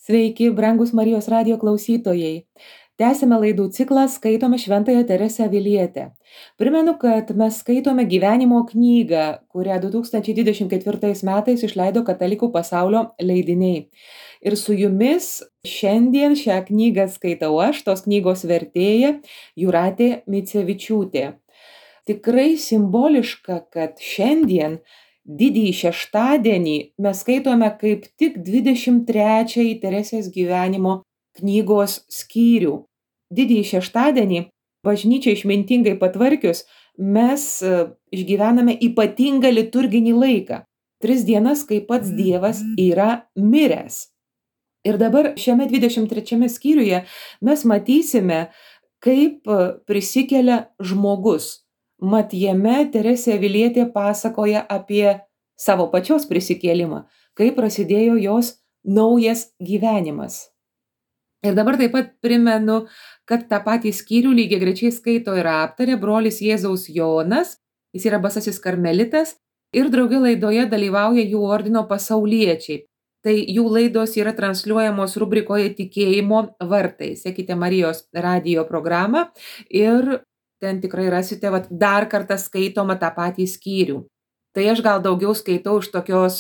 Sveiki, brangus Marijos radijo klausytojai. Tęsime laidų ciklą Skaitome Šventąją Teresę Avilietę. Primenu, kad mes skaitome gyvenimo knygą, kurią 2024 metais išleido Katalikų pasaulio leidiniai. Ir su jumis šiandien šią knygą skaitau aš, tos knygos vertėja Jūratė Micevičiūtė. Tikrai simboliška, kad šiandien didįjį šeštadienį mes skaitome kaip tik 23 Teresės gyvenimo knygos skyrių. Didįjį šeštadienį, bažnyčiai išmintingai patvarkius, mes išgyvename ypatingą liturginį laiką. 3 dienas, kai pats Dievas yra miręs. Ir dabar šiame 23 skyriuje mes matysime, kaip prisikelia žmogus. Mat jame Teresė Avilietė pasakoja apie savo pačios prisikėlimą, kaip prasidėjo jos naujas gyvenimas. Ir dabar taip pat primenu, kad tą patį skyrių lygiagrečiai skaito ir aptarė brolis Jėzaus Jonas, jis yra basasis karmelitas ir drauge laidoje dalyvauja jų ordino pasauliečiai. Tai jų laidos yra transliuojamos rubrikoje Tikėjimo vartai. Sekite Marijos radijo programą ir ten tikrai rasite dar kartą skaitomą tą patį skyrių. Tai aš gal daugiau skaitau iš tokios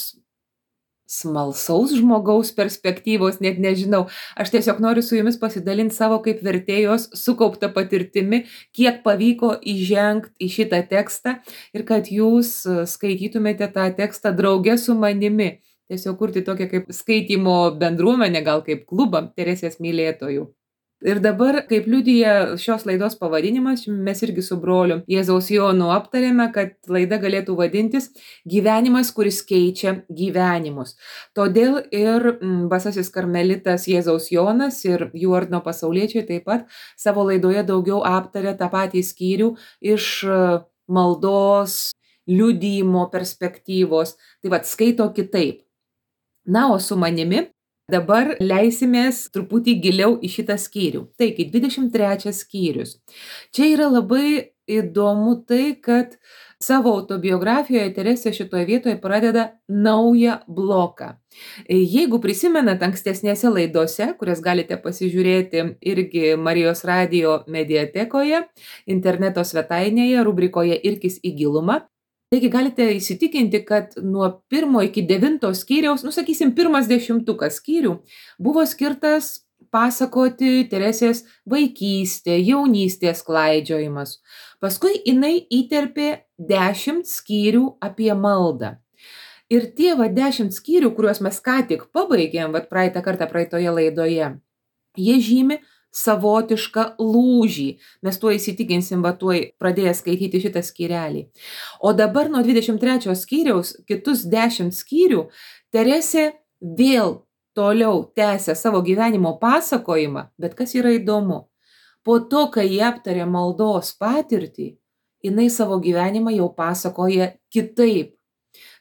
smalsaus žmogaus perspektyvos, net nežinau. Aš tiesiog noriu su jumis pasidalinti savo kaip vertėjos sukauptą patirtimi, kiek pavyko įžengti į šitą tekstą ir kad jūs skaitytumėte tą tekstą drauge su manimi. Tiesiog kurti tokią kaip skaitymo bendruomenę, gal kaip klubą Teresės mylėtojų. Ir dabar, kaip liudija šios laidos pavadinimas, mes irgi su broliu Jėzaus Jonu aptarėme, kad laida galėtų vadintis Gyvenimas, kuris keičia gyvenimus. Todėl ir basasis karmelitas Jėzaus Jonas ir jų ordino pasauliečiai taip pat savo laidoje daugiau aptarė tą patį skyrių iš maldos, liudijimo perspektyvos. Tai skaito kitaip. Na, o su manimi dabar leisimės truputį giliau į šitą skyrių. Taigi, 23 skyrius. Čia yra labai įdomu tai, kad savo autobiografijoje Teresė šitoje vietoje pradeda naują bloką. Jeigu prisimenat ankstesnėse laidose, kurias galite pasižiūrėti irgi Marijos radijo mediatekoje, interneto svetainėje, rubrikoje Irkis į gilumą, taigi galite įsitikinti, kad nuo 1 iki 9 skyriaus, sakysim, 10 skyrių buvo skirtas pasakoti Teresės vaikystė, jaunystės klaidžiojimas. Paskui jinai įterpė 10 skyrių apie maldą. Ir tie 10 skyrių, kuriuos mes ką tik pabaigėm, praeitą kartą praeitoje laidoje, jie žymi savotišką lūžį. Mes tuo įsitikinsim, tuoj pradėję skaityti šitą skyrelį. O dabar nuo 23 skyriaus, kitus 10 skyrių, Teresė vėl toliau tęsia savo gyvenimo pasakojimą, bet kas yra įdomu, po to, kai jie aptarė maldos patirtį, jinai savo gyvenimą jau pasakoja kitaip.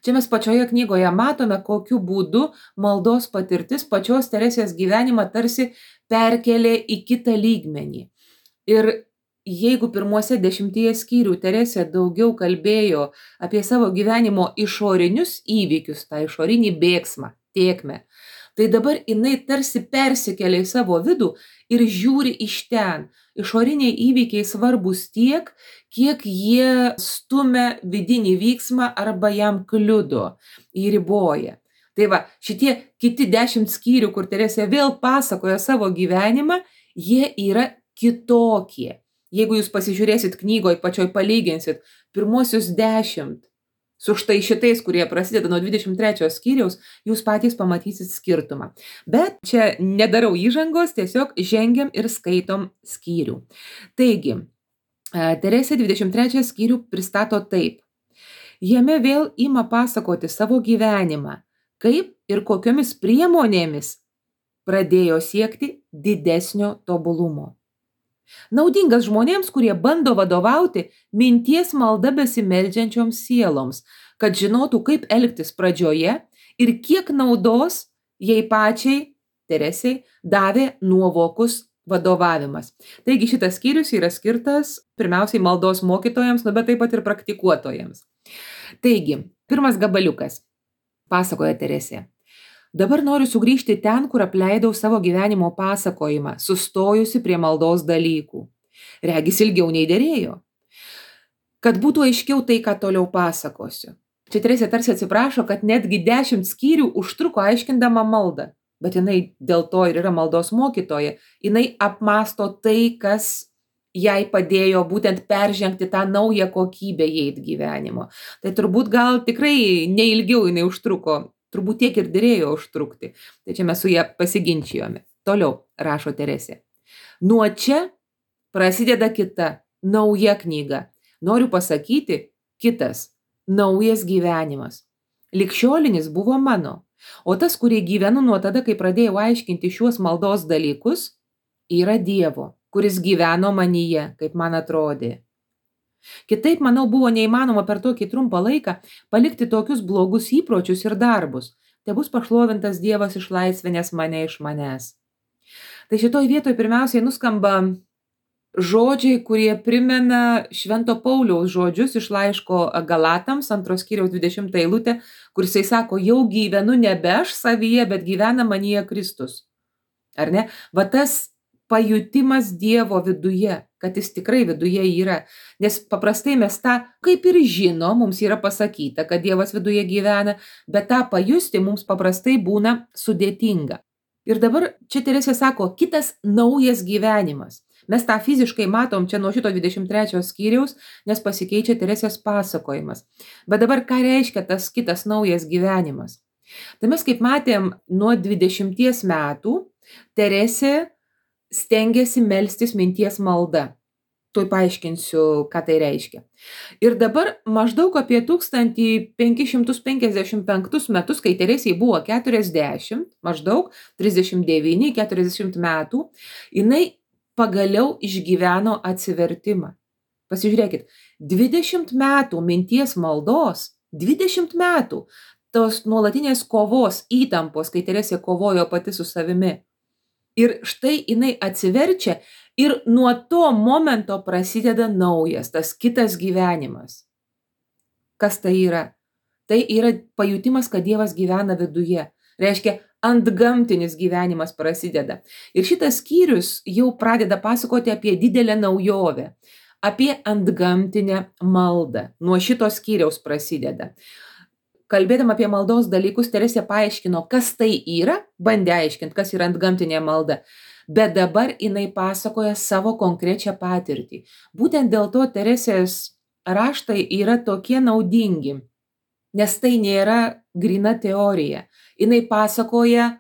Čia mes pačioje knygoje matome, kokiu būdu maldos patirtis pačios Teresės gyvenimą tarsi perkelė į kitą lygmenį. Ir jeigu pirmuose 10 skyrių Teresė daugiau kalbėjo apie savo gyvenimo išorinius įvykius, tą išorinį bėgsmą, tėkmę, tai dabar jinai tarsi persikelia į savo vidų ir žiūri iš ten. Išoriniai įvykiai svarbus tiek, kiek jie stumia vidinį vyksmą arba jam kliudo, įriboja. Tai šitie kiti 10 skyrių, kur Teresė vėl pasakoja savo gyvenimą, jie yra kitokie. Jeigu jūs pasižiūrėsit knygoje, pačioj palyginsit pirmuosius 10 su štai šitais, kurie prasideda nuo 23 skyriaus, jūs patys pamatysit skirtumą. Bet čia nedarau įžangos, tiesiog žengiam ir skaitom skyrių. Taigi, Teresė 23 skyrių pristato taip. Jame vėl ima pasakoti savo gyvenimą, kaip ir kokiomis priemonėmis pradėjo siekti didesnio tobulumo. Naudingas žmonėms, kurie bando vadovauti minties malda besimeldžiančioms sieloms, kad žinotų, kaip elgtis pradžioje ir kiek naudos jai pačiai, Teresei, davė nuovokus vadovavimas. Taigi šitas skyrius yra skirtas pirmiausiai maldos mokytojams, bet taip pat ir praktikuotojams. Taigi, pirmas gabaliukas, pasakoja Teresė. Dabar noriu sugrįžti ten, kur apleidau savo gyvenimo pasakojimą, sustojusi prie maldos dalykų. Regis ilgiau nei dėrėjo. Kad būtų aiškiau tai, ką toliau pasakosiu. Čia Teresė tarsi atsiprašo, kad netgi 10 skyrių užtruko aiškindama maldą. Bet jinai dėl to ir yra maldos mokytoja. Jinai apmąsto tai, kas jai padėjo būtent peržengti tą naują kokybę įeit gyvenimo. Tai turbūt gal tikrai neilgiau jinai užtruko. Turbūt tiek ir dėrėjo užtrukti. Tai čia mes su ją pasiginčijome. Toliau rašo Teresė. Nuo čia prasideda kita, nauja knyga. Noriu pasakyti, kitas, naujas gyvenimas. Ligšiolinis buvo mano, o tas, kurį gyvenu nuo tada, kai pradėjau aiškinti šiuos maldos dalykus, yra Dievo, kuris gyveno manyje, kaip man atrodė. Kitaip, manau, buvo neįmanoma per tokį trumpą laiką palikti tokius blogus įpročius ir darbus. Tai bus pašlovintas Dievas išlaisvinęs mane iš manęs. Tai šitoj vietoj pirmiausiai nuskamba žodžiai, kurie primena Švento Pauliaus žodžius iš laiško Galatams, 2 skyriaus 20 eilutė, kur jisai sako, jau gyvenu nebe aš savyje, bet gyvena manyje Kristus. Ar ne? Va tas pajutimas Dievo viduje, kad jis tikrai viduje yra. Nes paprastai mes tą, kaip ir žino, mums yra pasakyta, kad Dievas viduje gyvena, bet tą pajusti mums paprastai būna sudėtinga. Ir dabar čia Teresė sako, kitas naujas gyvenimas. Mes tą fiziškai matom čia nuo šito 23 skyriaus, nes pasikeičia Teresės pasakojimas. Bet dabar ką reiškia tas kitas naujas gyvenimas? Tai mes kaip matėm nuo 20 metų Teresė stengiasi melstis minties malda. Tuoj paaiškinsiu, ką tai reiškia. Ir dabar maždaug apie 1555 metus, kai Teresei buvo 40, maždaug 39-40 metų, jinai pagaliau išgyveno atsivertimą. Pasižiūrėkit, 20 metų minties maldos, 20 metų tos nuolatinės kovos, įtampos, kai Teresė kovojo pati su savimi. Ir štai jinai atsiverčia ir nuo to momento prasideda naujas, tas kitas gyvenimas. Kas tai yra? Tai yra pajutimas, kad Dievas gyvena viduje. Reiškia, antgamtinis gyvenimas prasideda. Ir šitas skyrius jau pradeda pasakoti apie didelę naujovę, apie antgamtinę maldą. Nuo šito skyriaus prasideda. Kalbėdama apie maldos dalykus, Teresė paaiškino, kas tai yra, bandė aiškinti, kas yra antgamtinė malda. Bet dabar jinai pasakoja savo konkrečią patirtį. Būtent dėl to Teresės raštai yra tokie naudingi, nes tai nėra gryna teorija. Jinai pasakoja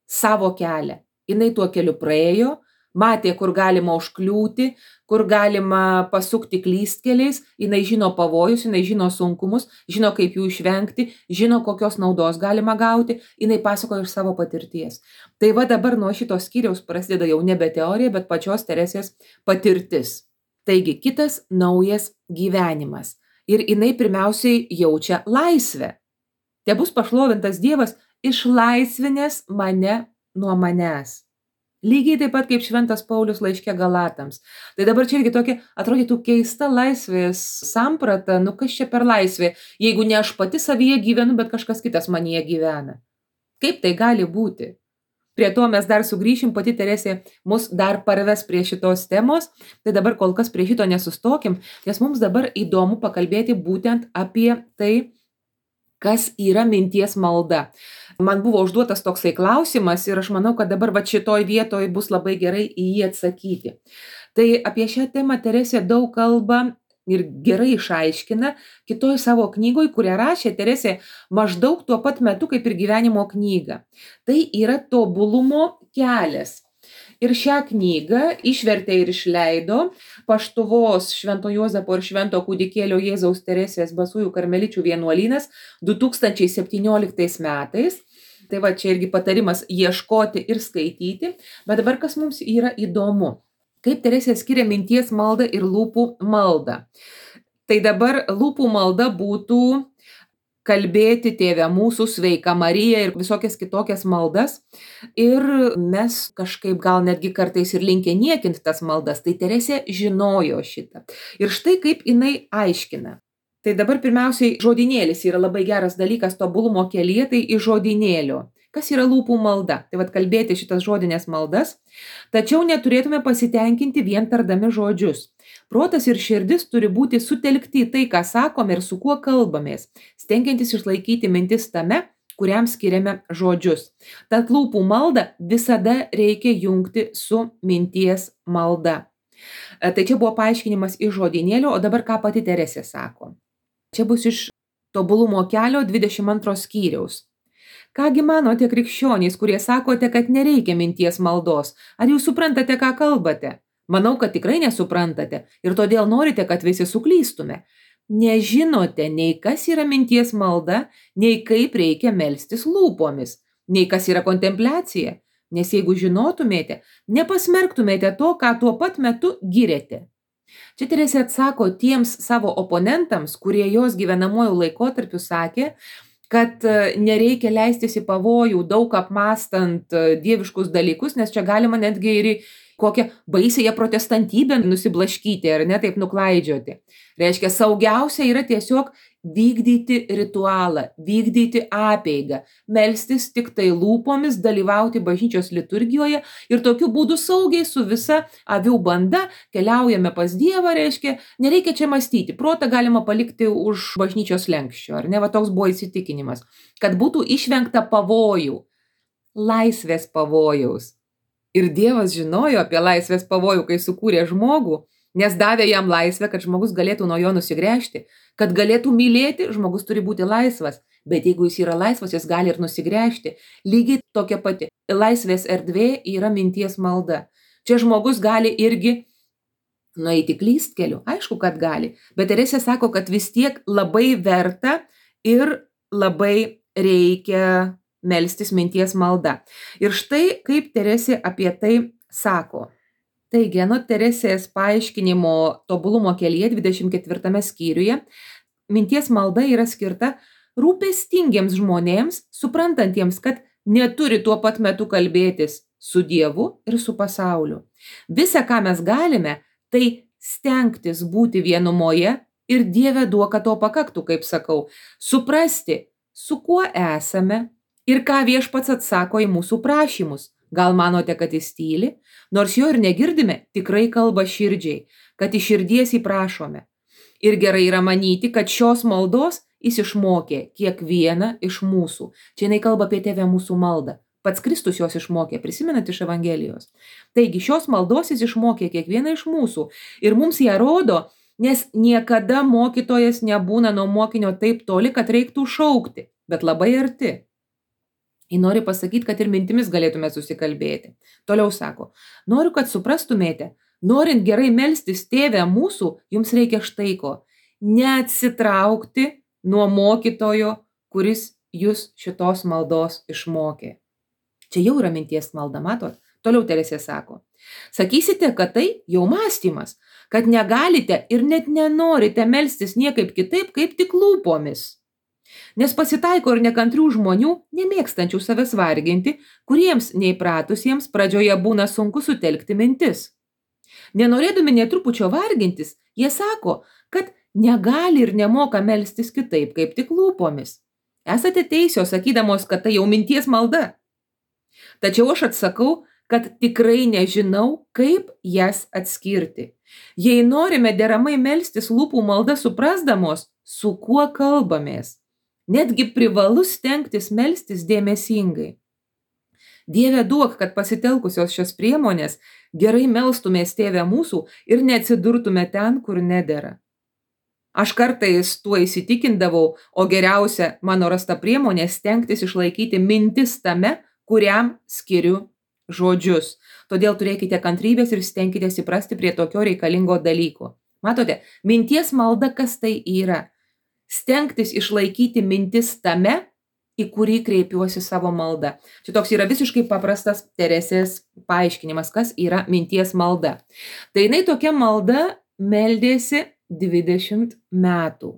savo kelią. Jinai tuo keliu praėjo, matė, kur galima užkliūti, kur galima pasukti klystkeliais, jinai žino pavojus, jinai žino sunkumus, žino, kaip jų išvengti, žino, kokios naudos galima gauti, jinai pasakoja iš savo patirties. Tai va dabar nuo šitos skyriaus prasideda jau nebe teorija, bet pačios Teresės patirtis. Taigi, kitas naujas gyvenimas. Ir jinai pirmiausiai jaučia laisvę. Te bus pašlovintas Dievas, išlaisvinęs mane nuo manęs. Lygiai taip pat kaip Šventas Paulius laiške Galatams. Tai dabar čia irgi tokia atrodytų keista laisvės samprata, kas čia per laisvė, jeigu ne aš pati savyje gyvenu, bet kažkas kitas manyje gyvena. Kaip tai gali būti? Prie to mes dar sugrįšim, pati Teresė mus dar parves prie šitos temos, tai dabar kol kas prie šito nesustokim, nes mums dabar įdomu pakalbėti būtent apie tai, kas yra minties malda. Man buvo užduotas toksai klausimas ir aš manau, kad dabar va šitoj vietoj bus labai gerai į jį atsakyti. Tai apie šią temą Teresė daug kalba ir gerai išaiškina kitoj savo knygoj, kurią rašė Teresė maždaug tuo pat metu kaip ir gyvenimo knyga. Tai yra tobulumo kelias. Ir šią knygą išvertė ir išleido Paštuvos Švento Juozapo ir Švento Kūdikėlio Jėzaus Teresės Basųjų karmeličių vienuolynas 2017 metais. Tai va čia irgi patarimas ieškoti ir skaityti. Bet dabar kas mums yra įdomu? Kaip Teresė skiria minties maldą ir lūpų maldą? Tai dabar lūpų malda būtų kalbėti Tėve mūsų, Sveika Marija ir visokias kitokias maldas. Ir mes kažkaip gal netgi kartais ir linkę niekinti tas maldas. Tai Teresė žinojo šitą. Ir štai kaip jinai aiškina. Tai dabar pirmiausiai žodynėlis yra labai geras dalykas tobulumo kelyje, tai iš žodynėlio. Kas yra lūpų malda? Tai vat kalbėti šitas žodinės maldas, tačiau neturėtume pasitenkinti vien tardami žodžius. Protas ir širdis turi būti sutelkti į tai, ką sakome ir su kuo kalbamės, stengiantis išlaikyti mintis tame, kuriam skiriame žodžius. Tad lūpų maldą visada reikia jungti su minties malda. Tai čia buvo paaiškinimas iš žodynėlio, o dabar ką pati Teresė sako. Čia bus iš Tobulumo kelio 22 skyriaus. Kągi manote krikščionys, kurie sakote, kad nereikia minties maldos? Ar jūs suprantate, ką kalbate? Manau, kad tikrai nesuprantate ir todėl norite, kad visi suklystume. Nežinote nei kas yra minties malda, nei kaip reikia melstis lūpomis, nei kas yra kontempliacija. Nes jeigu žinotumėte, nepasmerktumėte to, ką tuo pat metu giriate. Čia Teresė atsako tiems savo oponentams, kurie jos gyvenamojų laikotarpiu sakė, kad nereikia leistis į pavojų, daug apmąstant dieviškus dalykus, nes čia galima netgi ir į kokią baisiąją protestantybę nusiblaškyti ar ne taip nuklaidžioti. Reiškia, saugiausia yra tiesiog vykdyti ritualą, vykdyti apeigą, melstis tik tai lūpomis, dalyvauti bažnyčios liturgijoje ir tokiu būdu saugiai su visa avių banda keliaujame pas Dievą, reiškia, nereikia čia mąstyti, protą galima palikti už bažnyčios lenkščio, ar ne, va toks buvo įsitikinimas, kad būtų išvengta pavojų, laisvės pavojaus. Ir Dievas žinojo apie laisvės pavojų, kai sukūrė žmogų, nes davė jam laisvę, kad žmogus galėtų nuo jo nusigręžti, kad galėtų mylėti, žmogus turi būti laisvas, bet jeigu jis yra laisvas, jis gali ir nusigręžti. Lygiai tokia pati laisvės erdvė yra minties malda. Čia žmogus gali irgi nueiti klystkeliu, aišku, kad gali, bet Teresė sako, kad vis tiek labai verta ir labai reikia melstis minties malda. Ir štai kaip Teresė apie tai sako. Taigi, anot Teresės paaiškinimo Tobulumo kelyje 24 skyriuje, minties malda yra skirta rūpestingiems žmonėms, suprantantiems, kad neturi tuo pat metu kalbėtis su Dievu ir su pasauliu. Visa, ką mes galime, tai stengtis būti vienumoje ir Dieve duok, kad to pakaktų, kaip sakau, suprasti, su kuo esame ir ką Viešpats atsako į mūsų prašymus. Gal manote, kad jis tyli? Nors jo ir negirdime, tikrai kalba širdžiai, kad iš širdies įprašome. Ir gerai yra manyti, kad šios maldos jis išmokė kiekvieną iš mūsų. Čia jinai kalba apie Tėvę mūsų maldą. Pats Kristus jos išmokė, prisimenat iš Evangelijos. Taigi šios maldos jis išmokė kiekvieną iš mūsų. Ir mums ją rodo, nes niekada mokytojas nebūna nuo mokinio taip toli, kad reiktų šaukti, bet labai arti. Jis nori pasakyti, kad ir mintimis galėtume susikalbėti. Toliau sako, noriu, kad suprastumėte, norint gerai melstis Tėve mūsų, jums reikia štai ko. Neatsitraukti nuo mokytojo, kuris jūs šitos maldos išmokė. Čia jau yra minties malda, matot? Toliau Teresė sako, sakysite, kad tai jau mąstymas, kad negalite ir net nenorite melstis niekaip kitaip, kaip tik lūpomis. Nes pasitaiko ir nekantrių žmonių, nemėgstančių savęs varginti, kuriems neįpratusiems pradžioje būna sunku sutelkti mintis. Nenorėdami netrupučio vargintis, jie sako, kad negali ir nemoka melstis kitaip, kaip tik lūpomis. Esate teisios, sakydamos, kad tai jau minties malda. Tačiau aš atsakau, kad tikrai nežinau, kaip jas atskirti. Jei norime deramai melstis lūpų malda suprasdamos, su kuo kalbamės, netgi privalu stengtis melstis dėmesingai. Dieve duok, kad pasitelkusios šios priemonės gerai melstumės Tėve mūsų ir neatsidurtume ten, kur nedera. Aš kartais tuo įsitikindavau, o geriausia mano rasta priemonė stengtis išlaikyti mintis tame, kuriam skiriu žodžius. Todėl turėkite kantrybės ir stenkitės įprasti prie tokio reikalingo dalyko. Matote, minties malda kas tai yra? Stengtis išlaikyti mintis tame, į kurį kreipiuosi savo maldą. Čia toks yra visiškai paprastas Teresės paaiškinimas, kas yra minties malda. Tai jinai tokia malda meldėsi 20 metų.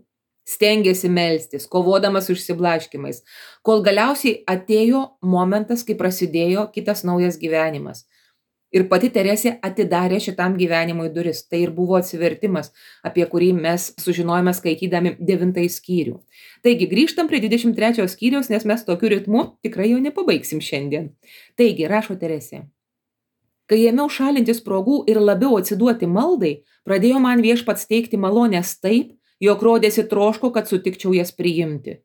Stengėsi melstis, kovodamas su išsiblaškimais, kol galiausiai atėjo momentas, kai prasidėjo kitas naujas gyvenimas. Ir pati Teresė atidarė šitam gyvenimui duris. Tai ir buvo atsivertimas, apie kurį mes sužinojome skaitydami 9 skyrių. Taigi, grįžtam prie 23 skyriaus, nes mes tokiu ritmu tikrai jau nepabaigsim šiandien. Taigi, rašo Teresė. Kai ėmiau šalintis progų ir labiau atsiduoti maldai, pradėjo man viešpats teikti malonės taip, jog rodėsi troško, kad sutikčiau jas priimti.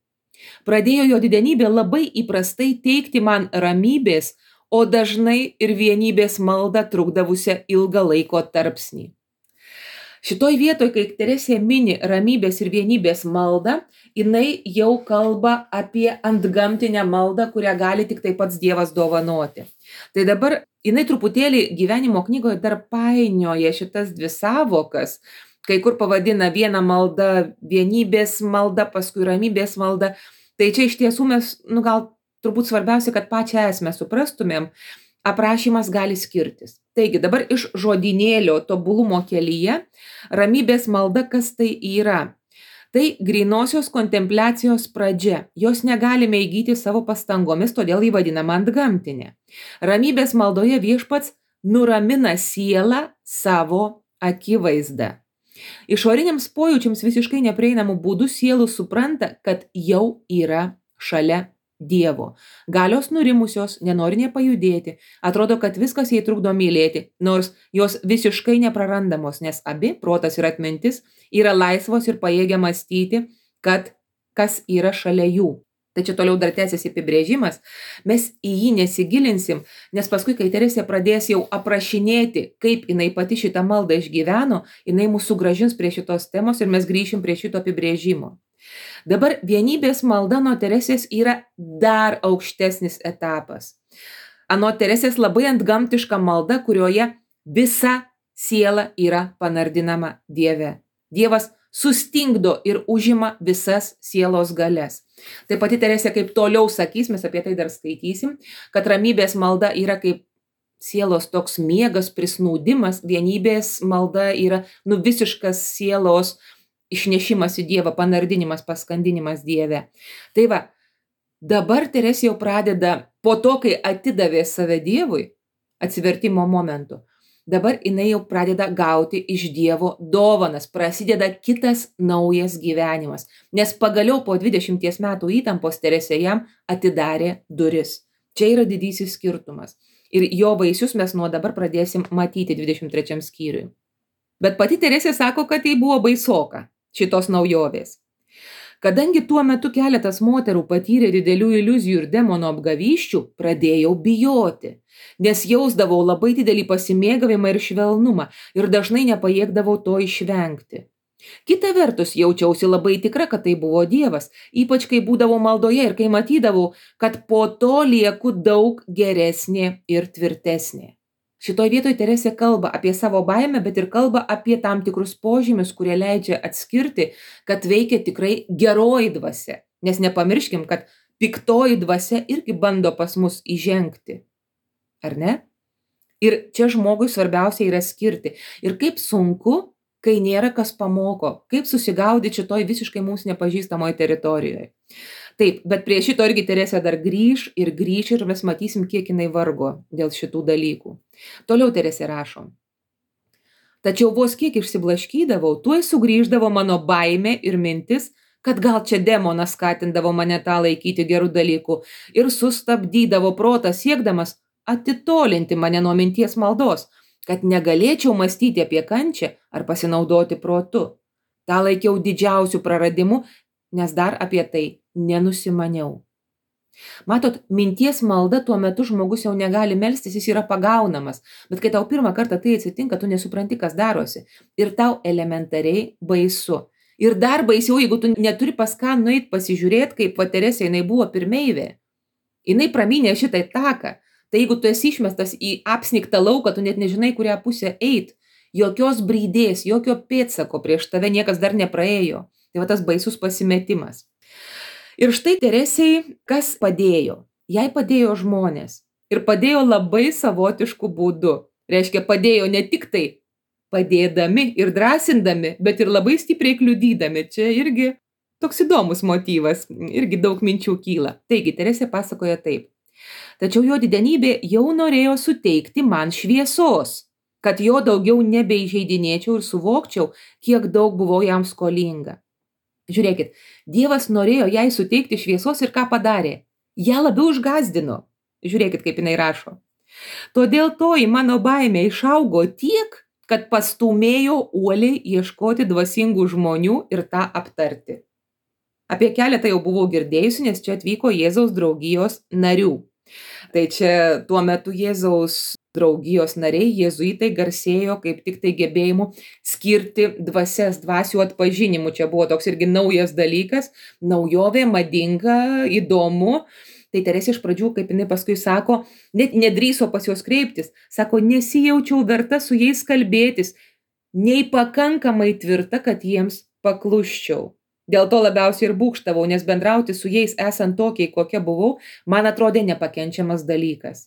Pradėjo jo didenybė labai įprastai teikti man ramybės, o dažnai ir vienybės maldą trukdavusią ilgą laiko tarpsnį. Šitoj vietoj, kai Teresė mini ramybės ir vienybės maldą, jinai jau kalba apie antgamtinę maldą, kurią gali tik tai pats Dievas dovanoti. Tai dabar jinai truputėlį gyvenimo knygoje dar painioja šitas dvi savokas, kai kur pavadina vieną maldą vienybės malda, paskui ramybės malda. Tai čia iš tiesų mes, gal turbūt svarbiausia, kad pačią esmę suprastumėm, aprašymas gali skirtis. Taigi dabar iš žodynėlio tobulumo kelyje ramybės malda, kas tai yra? Tai grynosios kontempliacijos pradžia. Jos negalime įgyti savo pastangomis, todėl jį vadinama antgamtinė. Ramybės maldoje viešpats nuramina sielą savo akivaizdą. Išoriniams pojūčiams visiškai neprieinamų būdų sielų supranta, kad jau yra šalia Dievo. Galios nurimusios, nenori nepajudėti, atrodo, kad viskas jai trukdo mylėti, nors jos visiškai neprarandamos, nes abi, protas ir atmintis, yra laisvos ir pajėgia mąstyti, kad kas yra šalia jų. Tai čia toliau dar tęsiasi apibrėžimas, mes į jį nesigilinsim, nes paskui, kai Teresė pradės jau aprašinėti, kaip jinai pati šitą maldą išgyveno, jinai mūsų sugrąžins prie šitos temos ir mes grįšim prie šito apibrėžimo. Dabar vienybės malda nuo Teresės yra dar aukštesnis etapas. Anot Teresės labai antgamtiška malda, kurioje visa siela yra panardinama Dieve. Dievas sustingdo ir užima visas sielos galias. Tai pati Teresė kaip toliau sakys, mes apie tai dar skaitysim, kad ramybės malda yra kaip sielos toks miegas, prisnaudimas, vienybės malda yra visiškas sielos išnešimas į Dievą, panardinimas, paskandinimas Dieve. Tai va, dabar Teresė jau pradeda, po to, kai atidavė save Dievui, atsivertimo momentu, dabar jinai jau pradeda gauti iš Dievo dovanas, prasideda kitas naujas gyvenimas, nes pagaliau po 20 metų įtampos Teresė jam atidarė duris. Čia yra didysis skirtumas. Ir jo vaisius mes nuo dabar pradėsim matyti 23 skyriui. Bet pati Teresė sako, kad tai buvo baisoka šitos naujovės. Kadangi tuo metu keletas moterų patyrė didelių iliuzijų ir demono apgavysčių, pradėjau bijoti, nes jausdavau labai didelį pasimėgavimą ir švelnumą ir dažnai nepajėgdavau to išvengti. Kita vertus, jaučiausi labai tikra, kad tai buvo Dievas, ypač kai būdavau maldoje ir kai matydavau, kad po to lieku daug geresnė ir tvirtesnė. Šitoj vietoj Teresė kalba apie savo baimę, bet ir kalba apie tam tikrus požymius, kurie leidžia atskirti, kad veikia tikrai geroji dvasia. Nes nepamirškim, kad piktoji dvasia irgi bando pas mus įžengti. Ar ne? Ir čia žmogui svarbiausia yra skirti. Ir kaip sunku, kai nėra kas pamoko, kaip susigaudyti šitoj visiškai mums nepažįstamoje teritorijoje. Taip, bet prie šito irgi Teresė dar grįš ir mes matysim, kiek jinai vargo dėl šitų dalykų. Toliau Teresė rašo. Tačiau vos kiek išsiblaškydavau, tuoj sugrįždavo mano baimė ir mintis, kad gal čia demonas skatindavo mane tą laikyti gerų dalykų ir sustabdydavo protą siekdamas atitolinti mane nuo minties maldos, kad negalėčiau mąstyti apie kančią ar pasinaudoti protu. Ta laikiau didžiausių praradimų, nes dar apie tai nenusimaniau. Matot, minties malda tuo metu žmogus jau negali melstis, jis yra pagaunamas, bet kai tau pirmą kartą tai atsitinka, tu nesupranti, kas darosi ir tau elementariai baisu. Ir dar baisiau, jeigu tu neturi pas ką nueit pasižiūrėti, kaip va Teresė jinai buvo pirmeivė. Jinai pramynė šitą taką, tai jeigu tu esi išmestas į apsnigtą lauką, tu net nežinai, kurią pusę eit, jokios brydės, jokio pėdsako prieš tave niekas dar nepraėjo. Tai va tas baisus pasimetimas. Ir štai Teresei kas padėjo? Jai padėjo žmonės. Ir padėjo labai savotišku būdu. Reiškia, padėjo ne tik tai padėdami ir drąsindami, bet ir labai stipriai kliudydami. Čia irgi toks įdomus motyvas, irgi daug minčių kyla. Taigi, Teresė pasakoja taip. Tačiau jo didenybė jau norėjo suteikti man šviesos, kad jo daugiau nebeįžeidinėčiau ir suvokčiau, kiek daug buvau jam skolinga. Žiūrėkit, Dievas norėjo jai suteikti šviesos ir ką padarė? Ją labiau išgąsdino. Žiūrėkit, kaip jinai rašo. Todėl toji mano baimė išaugo tiek, kad pastūmėjo uoliai ieškoti dvasingų žmonių ir tą aptarti. Apie keletą jau buvau girdėjusi, nes čia atvyko Jėzaus draugijos narių. Tai čia tuo metu Jėzaus draugijos nariai, jėzuitai, garsėjo kaip tik tai gebėjimu skirti dvasias, dvasių atpažinimu. Čia buvo toks irgi naujas dalykas, naujovė, madinga, įdomu. Tai Teresė iš pradžių, kaip jinai paskui sako, net nedrįso pas juos kreiptis. Sako, nesijaučiau verta su jais kalbėtis, nei pakankamai tvirta, kad jiems paklusčiau. Dėl to labiausiai ir būgštavau, nes bendrauti su jais esant tokiai, kokia buvau, man atrodė nepakenčiamas dalykas.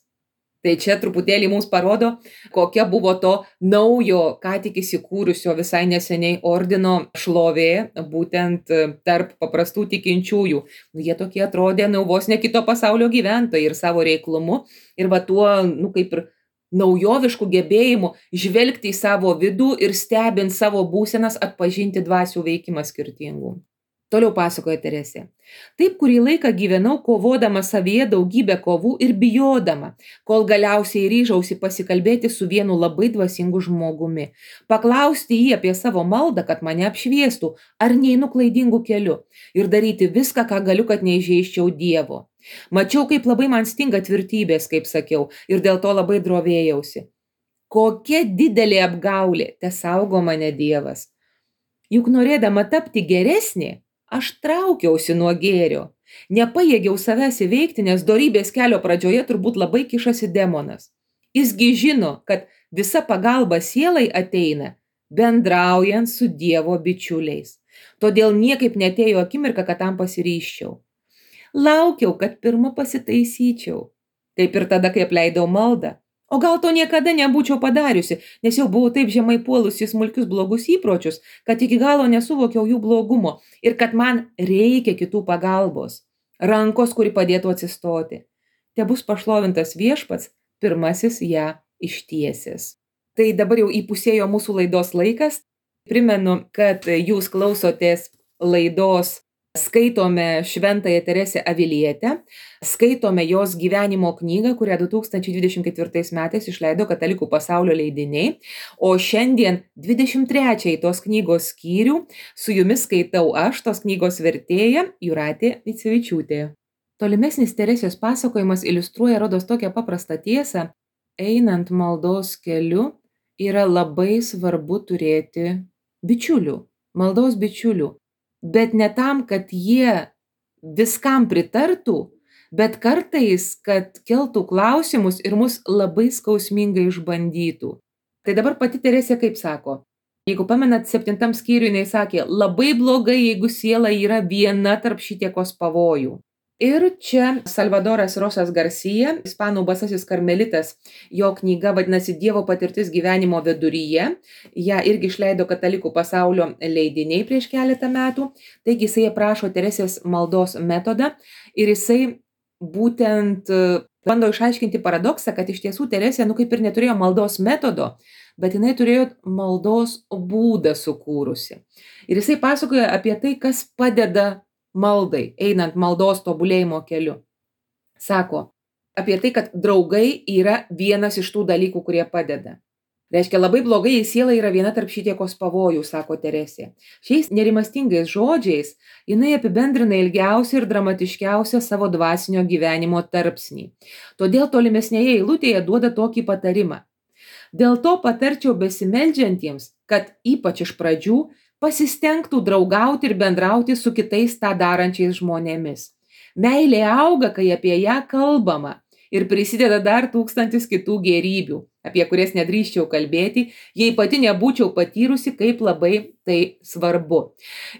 Tai čia truputėlį mums parodo, kokia buvo to naujo, ką tik įsikūrusio visai neseniai ordino šlovė, būtent tarp paprastų tikinčiųjų. Jie tokie atrodė, vos ne kito pasaulio gyventojai ir savo reiklumu, ir va tuo, kaip ir naujoviškų gebėjimų žvelgti į savo vidų ir stebint savo būsenas atpažinti dvasių veikimą skirtingų. Toliau pasakoja Teresė. Taip kurį laiką gyvenau kovodama savyje daugybę kovų ir bijodama, kol galiausiai ryžausi pasikalbėti su vienu labai dvasingu žmogumi, paklausti jį apie savo maldą, kad mane apšviestų, ar neinu klaidingu keliu ir daryti viską, ką galiu, kad neįžeisčiau Dievo. Mačiau, kaip labai man stinga tvirtybės, kaip sakiau, ir dėl to labai drovėjausi. Kokia didelė apgaulė, tesaugo mane Dievas. Juk norėdama tapti geresnė, aš traukiausi nuo gėrio. Nepajėgiau savęs įveikti, nes dorybės kelio pradžioje turbūt labai kišasi demonas. Jisgi žino, kad visa pagalba sielai ateina, bendraujant su Dievo bičiuliais. Todėl niekaip netėjo akimirka, kad tam pasiryščiau. Laukiau, kad pirma pasitaisyčiau. Taip ir tada, kai apleidau maldą. O gal to niekada nebūčiau padariusi, nes jau buvau taip žemai puolusi smulkius blogus įpročius, kad iki galo nesuvokiau jų blogumo ir kad man reikia kitų pagalbos, rankos, kuri padėtų atsistoti. Tebus pašlovintas Viešpats, pirmasis ją ištiesęs. Tai dabar jau įpusėjo mūsų laidos laikas. Primenu, kad jūs klausotės laidos Skaitome Šventąją Teresę Avilietę, skaitome jos gyvenimo knygą, kurią 2024 metais išleido Katalikų pasaulio leidiniai, o šiandien 23 tos knygos skyrių su jumis skaitau aš, tos knygos vertėja Jūratė Micevičiūtė. Tolimesnis Teresės pasakojimas iliustruoja, rodos, tokią paprastą tiesą. Einant maldos keliu yra labai svarbu turėti bičiulių, maldos bičiulių. Bet ne tam, kad jie viskam pritartų, bet kartais, kad keltų klausimus ir mus labai skausmingai išbandytų. Tai dabar pati Teresė kaip sako, jeigu pamenat 7 skyriui, jinai sakė, labai blogai, jeigu siela yra viena tarp šitiekos pavojų. Ir čia Salvadoras Rosas Garcia, ispanų basasis karmelitas, jo knyga vadinasi Dievo patirtis gyvenimo viduryje, ją irgi išleido Katalikų pasaulio leidiniai prieš keletą metų, taigi jisai aprašo Teresės maldos metodą ir jisai būtent bando išaiškinti paradoksą, kad iš tiesų Teresė, kaip ir neturėjo maldos metodo, bet jinai turėjo maldos būdą sukūrusi. Ir jisai pasakoja apie tai, kas padeda maldai, einant maldos tobulėjimo keliu. Sako apie tai, kad draugai yra vienas iš tų dalykų, kurie padeda. Reiškia, labai blogai, jei siela yra viena tarp šitiekos pavojų, sako Teresė. Šiais nerimastingais žodžiais jinai apibendrina ilgiausią ir dramatiškiausią savo dvasinio gyvenimo tarpsnį. Todėl tolimesnėje eilutėje duoda tokį patarimą. Dėl to patarčiau besimeldžiantiems, kad ypač iš pradžių pasistengtų draugauti ir bendrauti su kitais tą darančiais žmonėmis. Meilė auga, kai apie ją kalbama ir prisideda dar 1000 kitų gėrybių, apie kurias nedrįsčiau kalbėti, jei pati nebūčiau patyrusi, kaip labai tai svarbu.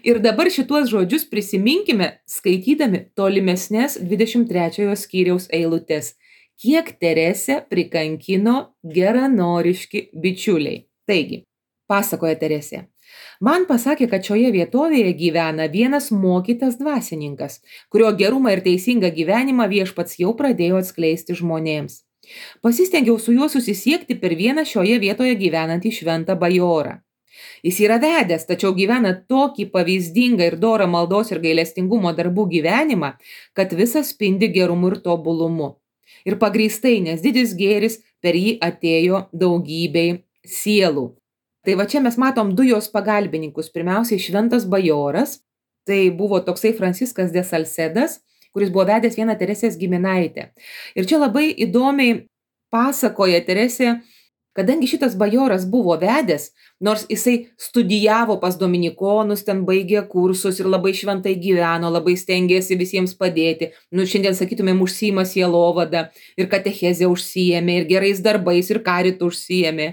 Ir dabar šituos žodžius prisiminkime, skaitydami tolimesnės 23 skyriaus eilutes. Kiek Teresę prikankino geranoriški bičiuliai. Taigi, pasakoja Teresė. Man pasakė, kad šioje vietovėje gyvena vienas mokytas dvasininkas, kurio gerumą ir teisingą gyvenimą viešpats jau pradėjo atskleisti žmonėms. Pasistengiau su juo susisiekti per vieną šioje vietoje gyvenantį šventą bajorą. Jis yra vedęs, tačiau gyvena tokį pavyzdingą ir dorą maldos ir gailestingumo darbų gyvenimą, kad visas spindi gerumu ir tobulumu. Ir pagrįstai, nes didis gėris per jį atėjo daugybei sielų. Tai va čia mes matom du jos pagalbininkus. Pirmiausiai šventas bajoras, tai buvo toksai Franciskas de Salcedas, kuris buvo vedęs vieną Teresės giminaitę. Ir čia labai įdomiai pasakoja Teresė, kadangi šitas bajoras buvo vedęs, nors jisai studijavo pas dominikonus, ten baigė kursus ir labai šventai gyveno, labai stengėsi visiems padėti. Šiandien sakytumėm, užsiima sielovada ir katechezė užsiėmė, ir gerais darbais, ir karitu užsiėmė.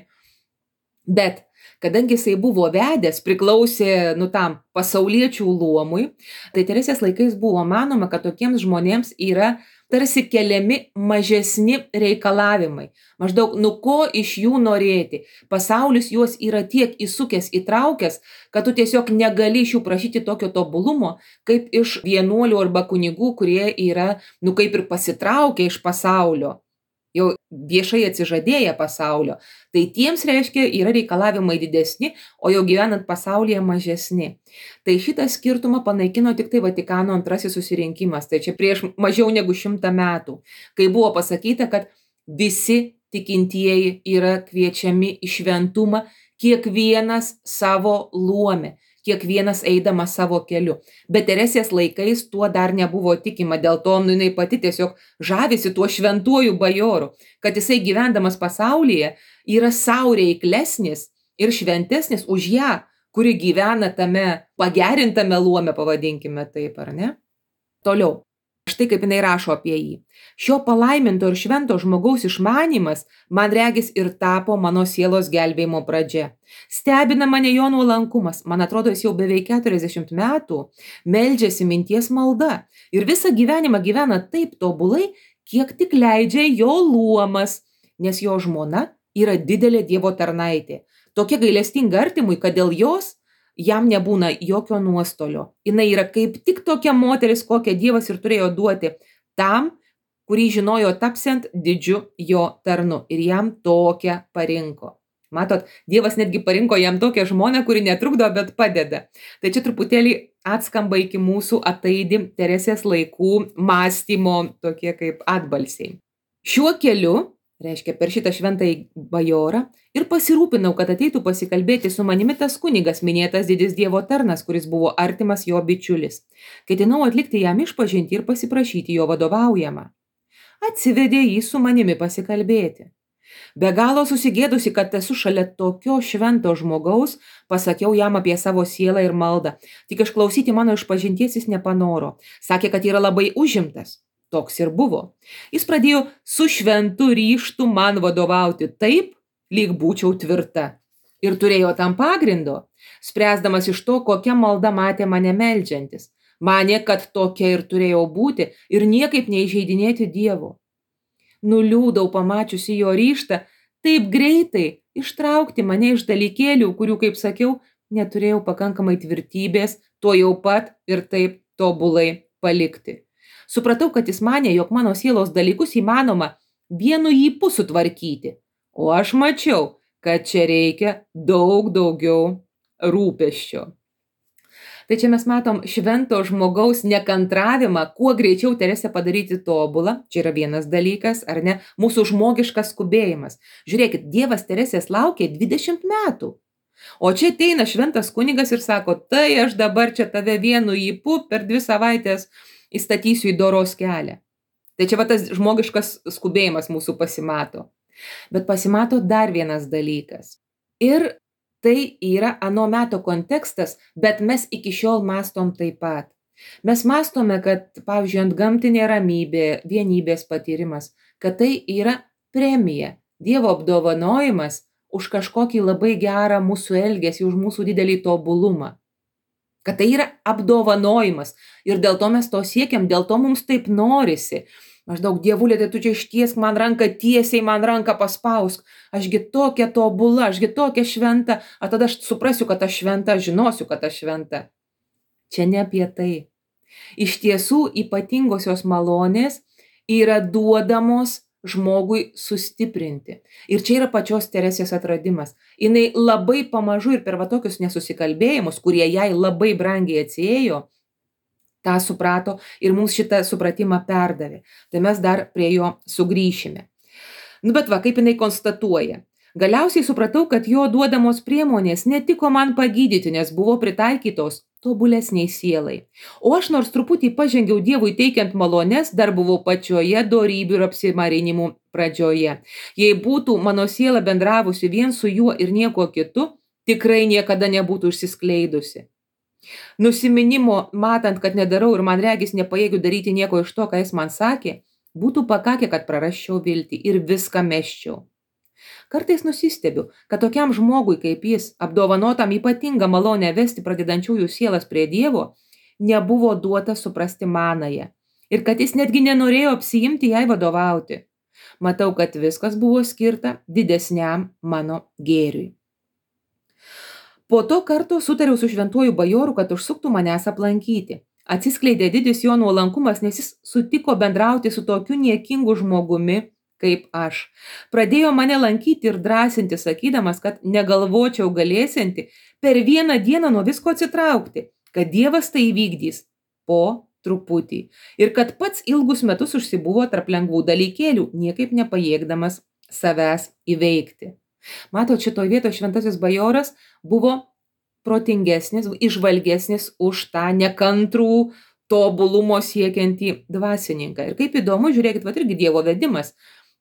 Bet kadangi jisai buvo vedęs, priklausė tam pasauliečių luomui, tai Teresės laikais buvo manoma, kad tokiems žmonėms yra tarsi keliami mažesni reikalavimai. Maždaug, ko iš jų norėti. Pasaulis juos yra tiek įsukęs, įtraukęs, kad tu tiesiog negali iš jų prašyti tokio tobulumo, kaip iš vienuolių arba kunigų, kurie yra, kaip ir pasitraukę iš pasaulio. Jau viešai atsižadėję pasaulio, tai tiems reiškia yra reikalavimai didesni, o jau gyvenant pasaulyje mažesni. Tai šitą skirtumą panaikino tik tai Vatikano II susirinkimas, tai čia prieš mažiau negu 100 metų, kai buvo pasakyta, kad visi tikintieji yra kviečiami į šventumą, kiekvienas savo luome, kiekvienas eidamas savo keliu. Bet Teresės laikais tuo dar nebuvo tikima, dėl to jinai pati tiesiog žavisi tuo šventuoju bajoru, kad jisai gyvendamas pasaulyje yra sau reiklesnis ir šventesnis už ją, kuri gyvena tame pagerintame luome, pavadinkime taip, ar ne? Toliau. Štai kaip jinai rašo apie jį. Šio palaiminto ir švento žmogaus išmanymas, man regis, ir tapo mano sielos gelbėjimo pradžia. Stebina mane jo nuolankumas, man atrodo, jis jau beveik 40 metų meldžiasi minties malda ir visą gyvenimą gyvena taip tobulai, kiek tik leidžia jo luomas, nes jo žmona yra didelė Dievo tarnaitė. Tokia gailestinga artimui, kad dėl jos jam nebūna jokio nuostolio. Jinai yra kaip tik tokia moteris, kokią Dievas ir turėjo duoti tam, kurį žinojo tapsiant didžiu jo tarnu. Ir jam tokią parinko. Matot, Dievas netgi parinko jam tokią žmoną, kuri netrukdo, bet padeda. Tai čia truputėlį atskamba iki mūsų ataidi Teresės laikų mąstymo tokie kaip atbalsiai. Šiuo keliu, reiškia per šitą šventąjį bajorą, ir pasirūpinau, kad ateitų pasikalbėti su manimi tas kunigas, minėtas didis Dievo tarnas, kuris buvo artimas jo bičiulis. Ketinau atlikti jam išpažinti ir pasiprašyti jo vadovaujamą. Atsivedė jį su manimi pasikalbėti. Be galo susigėdusi, kad esu šalia tokio švento žmogaus, pasakiau jam apie savo sielą ir maldą. Tik išklausyti mano išpažinties jis nepanoro. Sakė, kad yra labai užimtas. Toks ir buvo. Jis pradėjo su šventu ryžtu man vadovauti taip, lyg būčiau tvirta. Ir turėjo tam pagrindo, spręsdamas iš to, kokia malda matė mane meldžiantis. Manė, kad tokia ir turėjau būti ir niekaip neįžeidinėti Dievo. Nuliūdau pamačiusi jo ryžtą taip greitai ištraukti mane iš dalykėlių, kurių, kaip sakiau, neturėjau pakankamai tvirtybės, to jau pat ir taip tobulai palikti. Supratau, kad jis manė, jog mano sielos dalykus įmanoma vienu ypu sutvarkyti, o aš mačiau, kad čia reikia daug daugiau rūpesčio. Tai čia mes matom švento žmogaus nekantravimą, kuo greičiau Teresę padaryti tobulą. Čia yra vienas dalykas, ar ne? Mūsų žmogiškas skubėjimas. Žiūrėkit, Dievas Teresės laukė 20 metų. O čia ateina šventas kunigas ir sako, tai aš dabar čia tave vienu ypu per 2 savaitės įstatysiu į doros kelią. Tai čia va tas žmogiškas skubėjimas mūsų pasimato. Bet pasimato dar vienas dalykas. Ir tai yra ano meto kontekstas, bet mes iki šiol mąstom taip pat. Mes mąstome, kad, pavyzdžiui, antgamtinė ramybė, vienybės patyrimas, kad tai yra premija, Dievo apdovanojimas už kažkokį labai gerą mūsų elgesį, už mūsų didelį tobulumą. Kad tai yra apdovanojimas ir dėl to mes to siekiam, dėl to mums taip norisi. Maždaug dievulė, tai tu čia ištiesk man ranką, tiesiai man ranką paspausk. Ašgi tokia tobula, ašgi tokia šventa, o tada aš suprasiu, kad aš šventa, žinosiu, kad aš šventa. Čia ne apie tai. Iš tiesų ypatingosios malonės yra duodamos žmogui sustiprinti. Ir čia yra pačios Teresės atradimas. Jinai labai pamažu ir per va tokius nesusikalbėjimus, kurie jai labai brangiai atsiėjo, tą suprato ir mums šitą supratimą perdavė. Tai mes dar prie jo sugrįšime. Bet va, kaip jinai konstatuoja. Galiausiai supratau, kad jo duodamos priemonės netiko man pagydyti, nes buvo pritaikytos tobulesniai sielai. O aš nors truputį pažengiau Dievui teikiant malonės, dar buvau pačioje dorybių ir apsimarinimų pradžioje. Jei būtų mano siela bendravusi vien su juo ir nieko kitu, tikrai niekada nebūtų išsiskleidusi. Nusiminimo, matant, kad nedarau ir man regis nepajėgiu daryti nieko iš to, ką jis man sakė, būtų pakakę, kad prarasčiau viltį ir viską mesčiau. Kartais nusistebiu, kad tokiam žmogui kaip jis, apdovanotam ypatingą malonę vesti pradedančiųjų sielas prie Dievo, nebuvo duota suprasti manąją ir kad jis netgi nenorėjo apsiimti jai vadovauti. Matau, kad viskas buvo skirta didesniam mano gėriui. Po to karto sutariau su šventuoju bajoru, kad užsuktų manęs aplankyti. Atsiskleidė didis jo nuolankumas, nes jis sutiko bendrauti su tokiu niekingu žmogumi kaip aš. Pradėjo mane lankyti ir drąsinti, sakydamas, kad negalvočiau galėsianti per vieną dieną nuo visko atsitraukti, kad Dievas tai įvykdys po truputį ir kad pats ilgus metus užsibuvo tarp lengvų dalykėlių, niekaip nepajėgdamas savęs įveikti. Matot, šitoj vietoje šventasis bajoras buvo protingesnis, išvalgesnis už tą nekantrų tobulumo siekiantį dvasininką. Ir kaip įdomu, žiūrėkit, va irgi Dievo vedimas.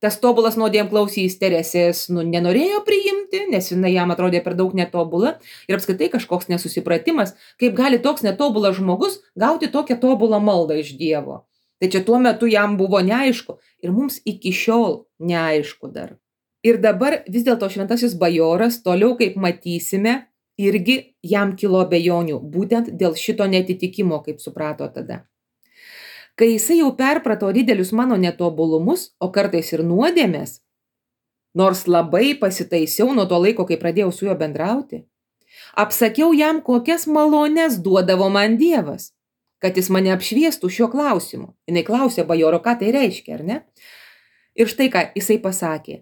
Tas tobulas nuodėmklausys Teresės nenorėjo priimti, nes jinai jam atrodė per daug netobula ir apskritai kažkoks nesusipratimas, kaip gali toks netobulas žmogus gauti tokią tobulą maldą iš Dievo. Tai čia tuo metu jam buvo neaišku ir mums iki šiol neaišku dar. Ir dabar vis dėlto šventasis bajoras, toliau kaip matysime, irgi jam kilo abejonių, būtent dėl šito netitikimo, kaip suprato tada. Kai jisai jau perprato didelius mano netobulumus, o kartais ir nuodėmės, nors labai pasitaisiau nuo to laiko, kai pradėjau su juo bendrauti, apsakiau jam, kokias malonės duodavo man Dievas, kad jis mane apšviestų šiuo klausimu. Jinai klausė bajoro, ką tai reiškia, ar ne? Ir štai ką jisai pasakė.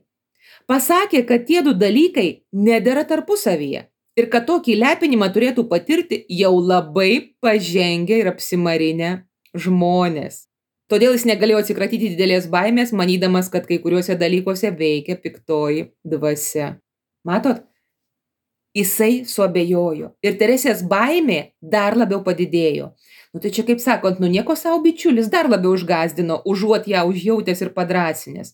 Pasakė, kad tie du dalykai nedera tarpusavyje ir kad tokį lepinimą turėtų patirti jau labai pažengę ir apsimarinę žmonės. Todėl jis negalėjo atsikratyti didelės baimės, manydamas, kad kai kuriuose dalykuose veikia piktoji dvasia. Matot, jisai suabejojo ir Teresės baimė dar labiau padidėjo. Tai čia kaip sakant, nieko savo bičiulis dar labiau užgazdino, užuot ją užjautęs ir padrasinęs.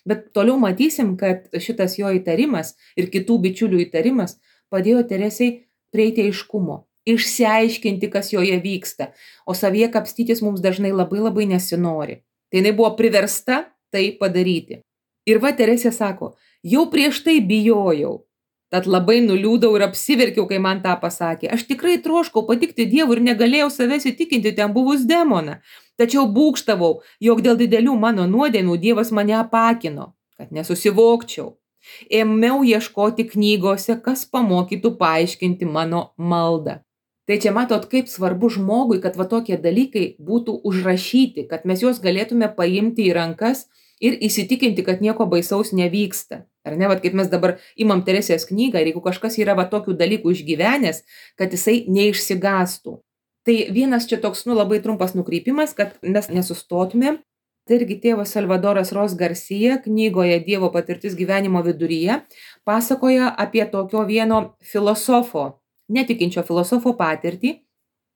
Bet toliau matysim, kad šitas jo įtarimas ir kitų bičiulių įtarimas padėjo Teresei prieiti aiškumo, išsiaiškinti, kas joje vyksta, o savyje kapstytis mums dažnai labai nesinori. Tai jinai buvo priversta tai padaryti. Ir va Teresė sako, jau prieš tai bijojau, tad labai nuliūdau ir apsiverkiau, kai man tą pasakė. Aš tikrai troškau patikti Dievui ir negalėjau savęs įtikinti ten buvus demoną. Tačiau būgštavau, jog dėl didelių mano nuodėmių Dievas mane apakino, kad nesusivokčiau. Ėmiau ieškoti knygose, kas pamokytų paaiškinti mano maldą. Tai čia matot, kaip svarbu žmogui, kad va tokie dalykai būtų užrašyti, kad mes juos galėtume paimti į rankas ir įsitikinti, kad nieko baisaus nevyksta. Ar ne, vat kaip mes dabar imam Teresės knygą ir jeigu kažkas yra va tokių dalykų išgyvenęs, kad jisai neišsigastų. Tai vienas čia toks labai trumpas nukreipimas, kad mes nesustotume. Tai irgi tėvas Salvadoras Ros Garcia knygoje Dievo patirtis gyvenimo viduryje pasakoja apie tokio vieno filosofo, netikinčio filosofo patirtį,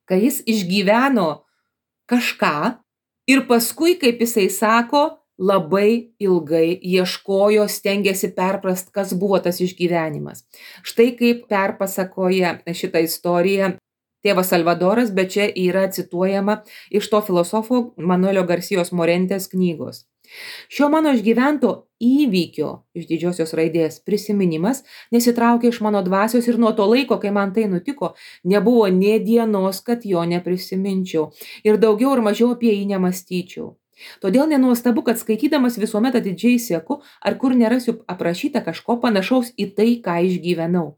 kai jis išgyveno kažką ir paskui, kaip jisai sako, labai ilgai ieškojo, stengėsi perprast, kas buvo tas išgyvenimas. Štai kaip perpasakoja šitą istoriją tėvas Salvadoras, bet čia yra cituojama iš to filosofo Manuelio Garcijos Morentės knygos. Šio mano išgyvento įvykio iš didžiosios raidės prisiminimas nesitraukė iš mano dvasios ir nuo to laiko, kai man tai nutiko, nebuvo nė dienos, kad jo neprisiminčiau ir daugiau ir mažiau apie jį nemąstyčiau. Todėl nenuostabu, kad skaitydamas visuomet atidžiai seku, ar kur nerasiu aprašyta kažko panašaus į tai, ką išgyvenau.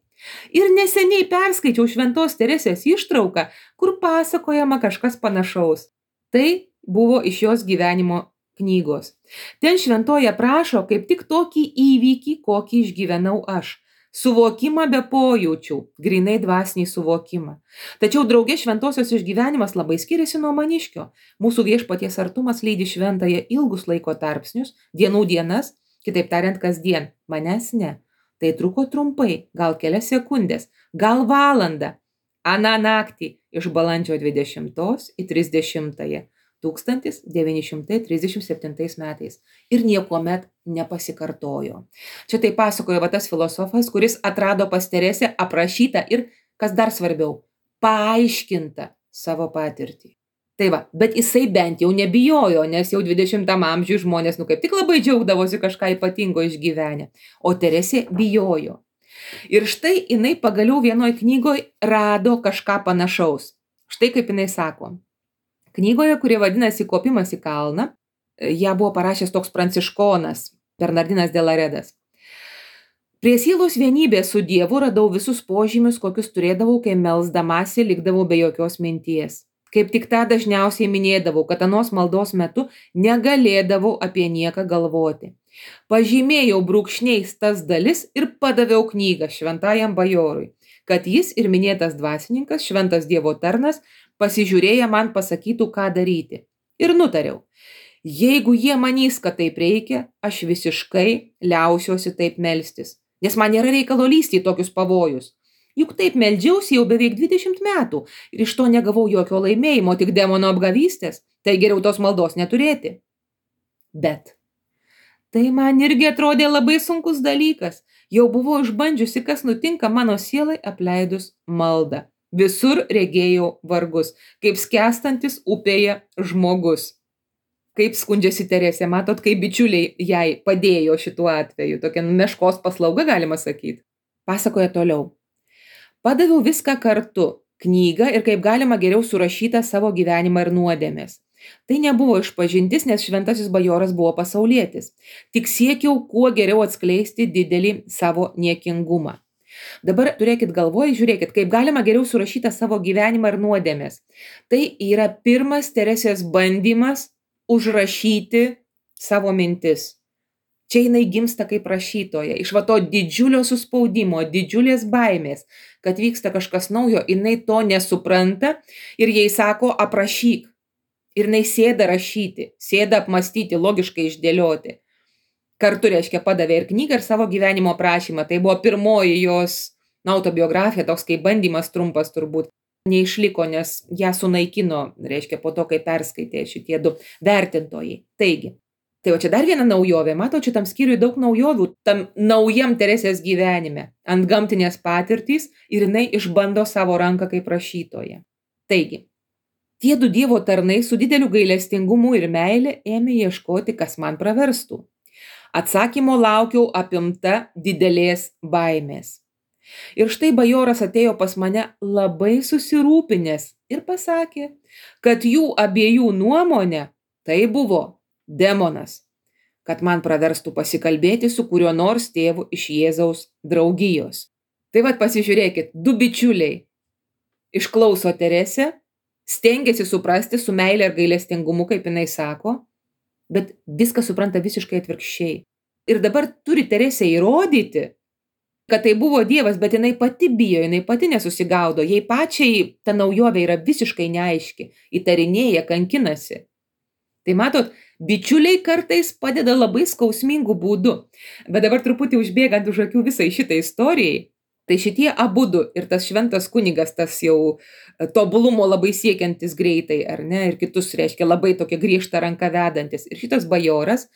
Ir neseniai perskaičiau Šventos Teresės ištrauką, kur pasakojama kažkas panašaus. Tai buvo iš jos gyvenimo knygos. Ten šventoji aprašo kaip tik tokį įvykį, kokį išgyvenau aš. Suvokimą be pojūčių, grinai dvasinį suvokimą. Tačiau draugė šventosios išgyvenimas labai skiriasi nuo maniškio. Mūsų viešpaties artumas lydi šventąją ilgus laiko tarpsnius, dienų dienas, kitaip tariant kasdien, manęs ne. Tai truko trumpai, gal kelias sekundės, gal valandą, aną naktį iš balandžio 20 į 30 1937 metais ir niekuomet nepasikartojo. Čia tai pasakojo tas filosofas, kuris atrado pas Teresę aprašytą ir, kas dar svarbiau, paaiškintą savo patirtį. Tai va, bet jisai bent jau nebijojo, nes jau 20 amžiuje žmonės kaip tik labai džiaugdavosi kažką ypatingo išgyvenę, o Teresė bijojo. Ir štai jinai pagaliau vienoj knygoje rado kažką panašaus. Štai kaip jinai sako. Knygoje, kurie vadinasi Kopimas į kalną, ją buvo parašęs toks pranciškonas, Bernardinas de Laredas. Prie sielos vienybės su Dievu radau visus požymius, kokius turėdavau, kai melsdamasi likdavau be jokios minties. Kaip tik tą dažniausiai minėdavau, kad anos maldos metu negalėdavau apie nieką galvoti. Pažymėjau brūkšniais tas dalis ir padaviau knygą šventajam bajorui, kad jis ir minėtas dvasininkas, šventas Dievo tarnas, pasižiūrėję man pasakytų, ką daryti. Ir nutariau, jeigu jie manys, kad taip reikia, aš visiškai liausiuosi taip melstis, nes man nėra reikalo lysti į tokius pavojus. Juk taip meldžiausi jau beveik 20 metų ir iš to negavau jokio laimėjimo, tik demono apgavystės, tai geriau tos maldos neturėti. Bet tai man irgi atrodė labai sunkus dalykas. Jau buvau išbandžiusi, kas nutinka mano sielai apleidus maldą. Visur regėjau vargus, kaip skęstantis upėje žmogus. Kaip skundžiasi Teresė, matot, kaip bičiuliai jai padėjo šituo atveju. Tokia meškos paslauga, galima sakyti. Pasakoja toliau. Padaviau viską kartu, knygą ir kaip galima geriau surašytą savo gyvenimą ir nuodėmės. Tai nebuvo išpažintis, nes šventasis bajoras buvo pasaulietis. Tik siekiau kuo geriau atskleisti didelį savo niekingumą. Dabar turėkit galvoje, žiūrėkit, kaip galima geriau surašytą savo gyvenimą ir nuodėmės. Tai yra pirmas Teresės bandymas užrašyti savo mintis. Čia jinai gimsta kaip rašytoja. Iš va to didžiulio suspaudimo, didžiulės baimės, kad vyksta kažkas naujo, jinai to nesupranta ir jai sako aprašyk. Ir jinai sėda rašyti, sėda apmastyti, logiškai išdėlioti. Kartu, reiškia, padavė ir knygą, ir savo gyvenimo aprašymą. Tai buvo pirmoji jos autobiografija, toks kaip bandymas trumpas turbūt. Neišliko, nes ją sunaikino, reiškia, po to, kai perskaitė šitie du vertintojai. Taigi, tai va čia dar viena naujovė. Mato, čia tam skyriui daug naujovių, tam naujam Teresės gyvenime. Antgamtinės patirtys ir jinai išbando savo ranką kaip rašytoja. Taigi, tie du Dievo tarnai su dideliu gailestingumu ir meile ėmė ieškoti, kas man praverstų. Atsakymo laukiau apimta didelės baimės. Ir štai bajoras atėjo pas mane labai susirūpinęs ir pasakė, kad jų abiejų nuomonė tai buvo demonas, kad man praverstų pasikalbėti su kuriuo nors tėvu iš Jėzaus draugijos. Tai vat pasižiūrėkit, du bičiuliai išklauso Teresę, stengiasi suprasti su meile ir gailestingumu, kaip jinai sako, bet viską supranta visiškai atvirkščiai. Ir dabar turi Teresė įrodyti, kad tai buvo Dievas, bet jinai pati bijo, jinai pati nesusigaudo, jai pačiai ta naujovė yra visiškai neaiški, įtarinėja, kankinasi. Tai matot, bičiuliai kartais padeda labai skausmingų būdų, bet dabar truputį užbėgant už akių visai šitai istorijai, tai šitie abudu ir tas šventas kunigas, tas jau tobulumo labai siekiantis greitai, ar ne, ir kitus, reiškia, labai tokia griežta ranka vedantis. Ir šitas bajoras,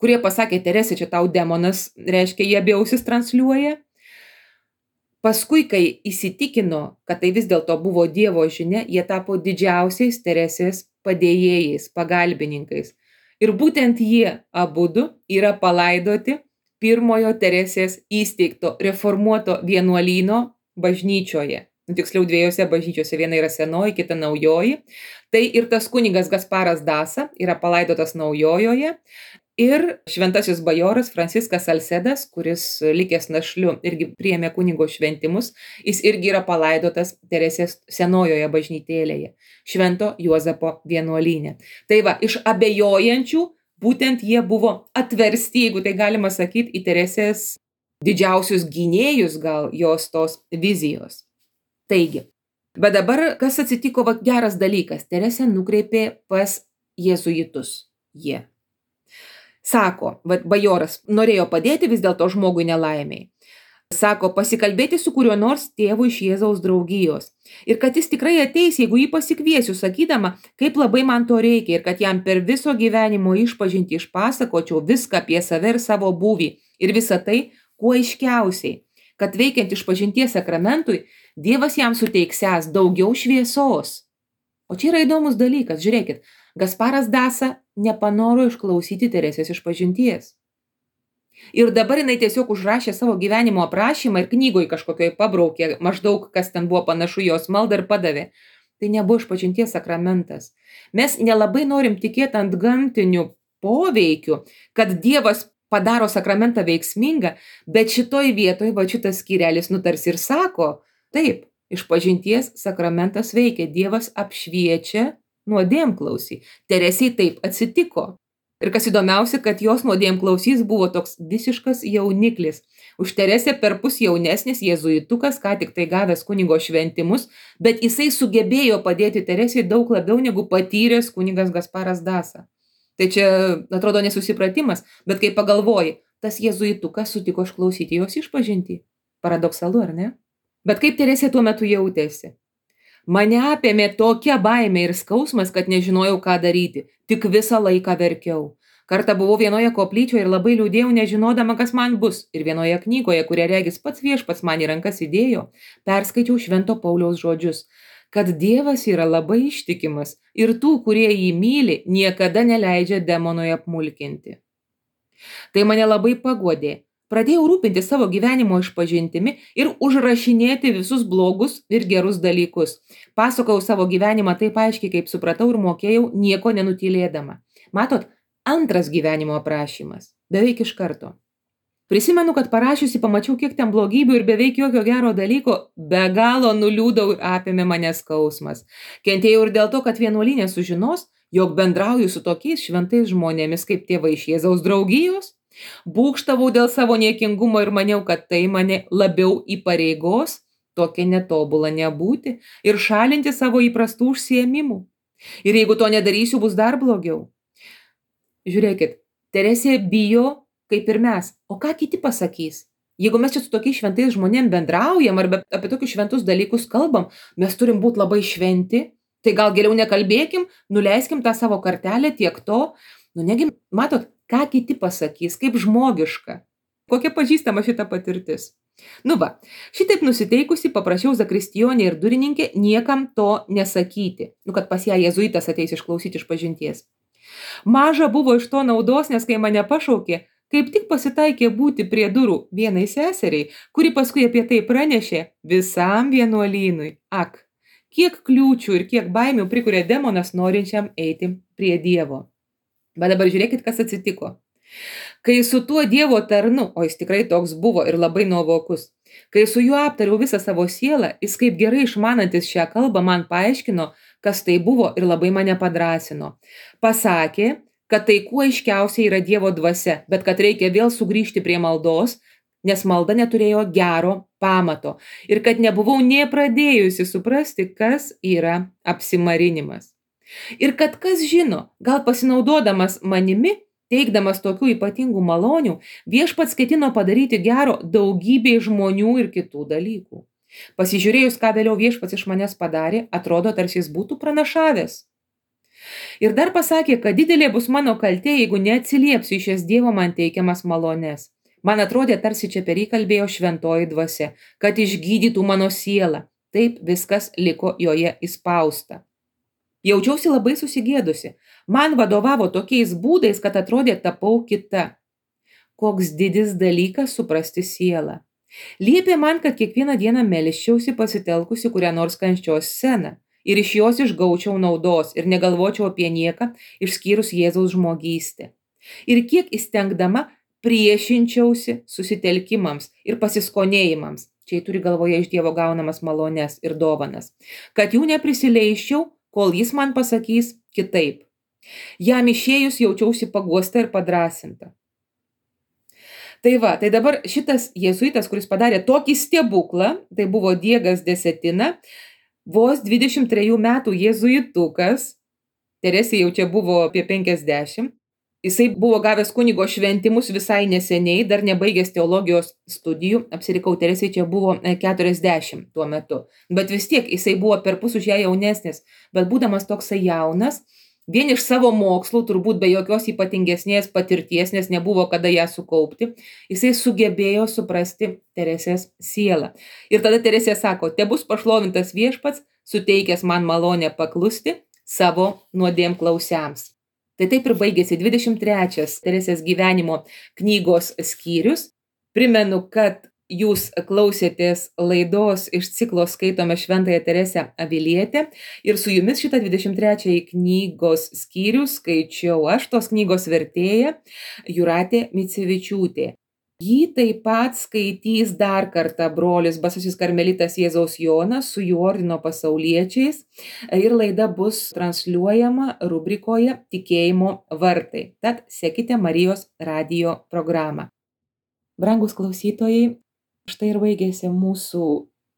kurie pasakė, Teresė, čia tau demonas, reiškia, jie abi ausis transliuoja. Paskui, kai įsitikino, kad tai vis dėlto buvo Dievo žinia, jie tapo didžiausiais Teresės padėjėjais, pagalbininkais. Ir būtent jie abudu yra palaidoti pirmojo Teresės įsteigto reformuoto vienuolyno bažnyčioje. tiksliau dviejose bažnyčiose, viena yra senoji, kita naujoji. Tai ir tas kunigas Gasparas Dasa yra palaidotas naujojoje. Ir šventasis bajoras Franciskas Salsedas, kuris likęs našliu irgi priėmė kunigo šventimus, jis irgi yra palaidotas Teresės senojoje bažnytėlėje, Švento Juozapo vienuolyne. Tai va, iš abejojančių būtent jie buvo atversti, jeigu tai galima sakyti, į Teresės didžiausius gynėjus gal jos tos vizijos. Taigi, bet dabar kas atsitiko, va, geras dalykas, Teresė nukreipė pas jėzuitus. Jie. Sako, va, bajoras norėjo padėti vis dėlto žmogui nelaimiai. Sako, pasikalbėti su kuriuo nors tėvu iš Jėzaus draugijos. Ir kad jis tikrai ateis, jeigu jį pasikviesiu, sakydama, kaip labai man to reikia ir kad jam per viso gyvenimo išpažinti išpasakočiau viską apie save ir savo būvį. Ir visą tai, kuo aiškiausiai, kad veikiant išpažinties sakramentui, Dievas jam suteiksęs daugiau šviesos. O čia yra įdomus dalykas, žiūrėkit, Gasparas Dasa nepanoro išklausyti Teresės išpažinties. Ir dabar jinai tiesiog užrašė savo gyvenimo aprašymą ir knygoj kažkokioj pabraukė, maždaug kas ten buvo panašu jos maldą ir padavė. Tai nebuvo išpažinties sakramentas. Mes nelabai norim tikėti ant gamtinių poveikių, kad Dievas padaro sakramentą veiksmingą, bet šitoj vietoj va šitas skyrelis nutars ir sako, taip, išpažinties sakramentas veikia, Dievas apšviečia nuodėmklausį. Teresiai taip atsitiko. Ir kas įdomiausia, kad jos nuodėmklausys buvo toks visiškas jauniklis. Už Teresę perpus jaunesnis jėzuitukas, ką tik tai gavęs kunigo šventimus, bet jisai sugebėjo padėti Teresei daug labiau negu patyręs kunigas Gasparas Dasa. Tai čia atrodo nesusipratimas, bet kai pagalvoji, tas jėzuitukas sutiko išklausyti jos išpažintį. Paradoksalu, ar ne? Bet kaip Teresė tuo metu jautėsi? Mane apėmė tokia baimė ir skausmas, kad nežinojau, ką daryti. Tik visą laiką verkiau. Kartą buvau vienoje koplyčioje ir labai liūdėjau, nežinodama, kas man bus. Ir vienoje knygoje, kurią regis pats viešpats man į rankas įdėjo, perskaičiau Švento Pauliaus žodžius, kad Dievas yra labai ištikimas ir tų, kurie jį myli, niekada neleidžia demonui apmulkinti. Tai mane labai paguodė. Pradėjau rūpinti savo gyvenimo išpažintimi ir užrašinėti visus blogus ir gerus dalykus. Pasakojau savo gyvenimą taip aiškiai, kaip supratau ir mokėjau, nieko nenutylėdama. Matot, antras gyvenimo aprašymas. Beveik iš karto. Prisimenu, kad parašiusi pamačiau, kiek ten blogybių ir beveik jokio gero dalyko, be galo nuliūdau ir apėmė mane skausmas. Kentėjau ir dėl to, kad vienuolyne sužinos, jog bendrauju su tokiais šventais žmonėmis kaip tėvai iš Jėzaus draugijos. Būgštavau dėl savo niekingumo ir maniau, kad tai mane labiau įpareigos, tokia netobula nebūti ir šalinti savo įprastų užsiėmimų. Ir jeigu to nedarysiu, bus dar blogiau. Žiūrėkit, Teresė bijo, kaip ir mes. O ką kiti pasakys? Jeigu mes čia su tokiais šventais žmonėm bendraujam arba apie tokius šventus dalykus kalbam, mes turim būti labai šventi, tai gal geriau nekalbėkim, nuleiskim tą savo kartelę tiek to. Negi, matot, ką kiti pasakys, kaip žmogiška. Kokia pažįstama šita patirtis. Va, šitaip nusiteikusi paprašiau zakristijonę ir durininkę niekam to nesakyti. Kad pas ją jėzuitas ateis išklausyti išpažinties. Maža buvo iš to naudos, nes kai mane pašaukė, kaip tik pasitaikė būti prie durų vienai seseriai, kuri paskui apie tai pranešė visam vienuolynui. Ak, kiek kliūčių ir kiek baimių prikuria demonas norinčiam eiti prie Dievo. Bet dabar žiūrėkit, kas atsitiko. Kai su tuo Dievo tarnu, o jis tikrai toks buvo ir labai nuovokus, kai su juo aptariau visą savo sielą, jis kaip gerai išmanantis šią kalbą man paaiškino, kas tai buvo ir labai mane padrąsino. Pasakė, kad tai kuo aiškiausiai yra Dievo dvasia, bet kad reikia vėl sugrįžti prie maldos, nes malda neturėjo gero pamato ir kad nebuvau nė pradėjusi suprasti, kas yra apsimarinimas. Ir kad kas žino, gal pasinaudodamas manimi, teikdamas tokių ypatingų malonių, viešpats ketino padaryti gero daugybei žmonių ir kitų dalykų. Pasižiūrėjus, ką vėliau viešpats iš manęs padarė, atrodo, tarsi jis būtų pranašavęs. Ir dar pasakė, kad didelė bus mano kaltė, jeigu neatsiliepsiu į šias Dievo man teikiamas malones. Man atrodė, tarsi čia per jį kalbėjo šventoji dvasia, kad išgydytų mano sielą. Taip viskas liko joje įspausta. Jaučiausi labai susigėdusi. Man vadovavo tokiais būdais, kad atrodė tapau kita. Koks didis dalykas suprasti sielą. Liepė man, kad kiekvieną dieną melsčiausi pasitelkusi kurią nors kančios sceną ir iš jos išgaučiau naudos ir negalvočiau apie nieką išskyrus Jėzaus žmogystę. Ir kiek įstengdama priešinčiausi susitelkimams ir pasiskonėjimams, čia turi galvoje iš Dievo gaunamas malones ir dovanas, kad jų neprisileisčiau, kol jis man pasakys kitaip. Jam išėjus jaučiausi paguosta ir padrąsinta. Tai dabar šitas jėzuitas, kuris padarė tokį stebuklą, tai buvo Diegas Desetina, vos 23 metų jėzuitukas, Teresė jau čia buvo apie 50, jisai buvo gavęs kunigo šventimus visai neseniai, dar nebaigęs teologijos studijų, apsirikau, Teresė čia buvo 40 tuo metu, bet vis tiek jisai buvo perpus už ją jaunesnis, bet būdamas toksai jaunas, vien iš savo mokslų, turbūt be jokios ypatingesnės patirties, nes nebuvo kada ją sukaupti, jisai sugebėjo suprasti Teresės sielą. Ir tada Teresė sako, tebus pašlovintas Viešpats, suteikęs man malonę paklusti savo nuodėmklausiams. Tai taip ir baigėsi 23 Teresės gyvenimo knygos skyrius. Primenu, kad jūs klausėtės laidos iš ciklo Skaitome Šventąją Teresę Avilietę ir su jumis šitą 23 knygos skyrių skaičiau aš, tos knygos vertėja Jūratė Micevičiūtė. Jį taip pat skaitys dar kartą brolis Basasis karmelitas Jėzaus Jonas su jų ordino pasauliečiais ir laida bus transliuojama rubrikoje Tikėjimo vartai. Tad sekite Marijos radijo programą. Brangus klausytojai, štai ir baigėsi mūsų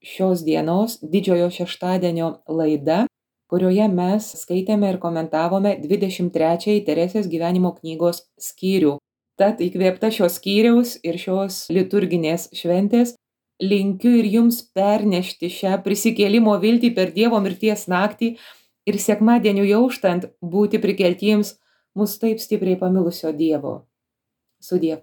šios dienos didžiojo šeštadienio laida, kurioje mes skaitėme ir komentavome 23 Teresės gyvenimo knygos skyrių. Tad įkvėpta šios skyriaus ir šios liturginės šventės linkiu ir jums pernešti šią prisikėlimo viltį per Dievo mirties naktį ir sekmadieniu auštant būti prikeltiems mus taip stipriai pamilusio Dievo. Sudie.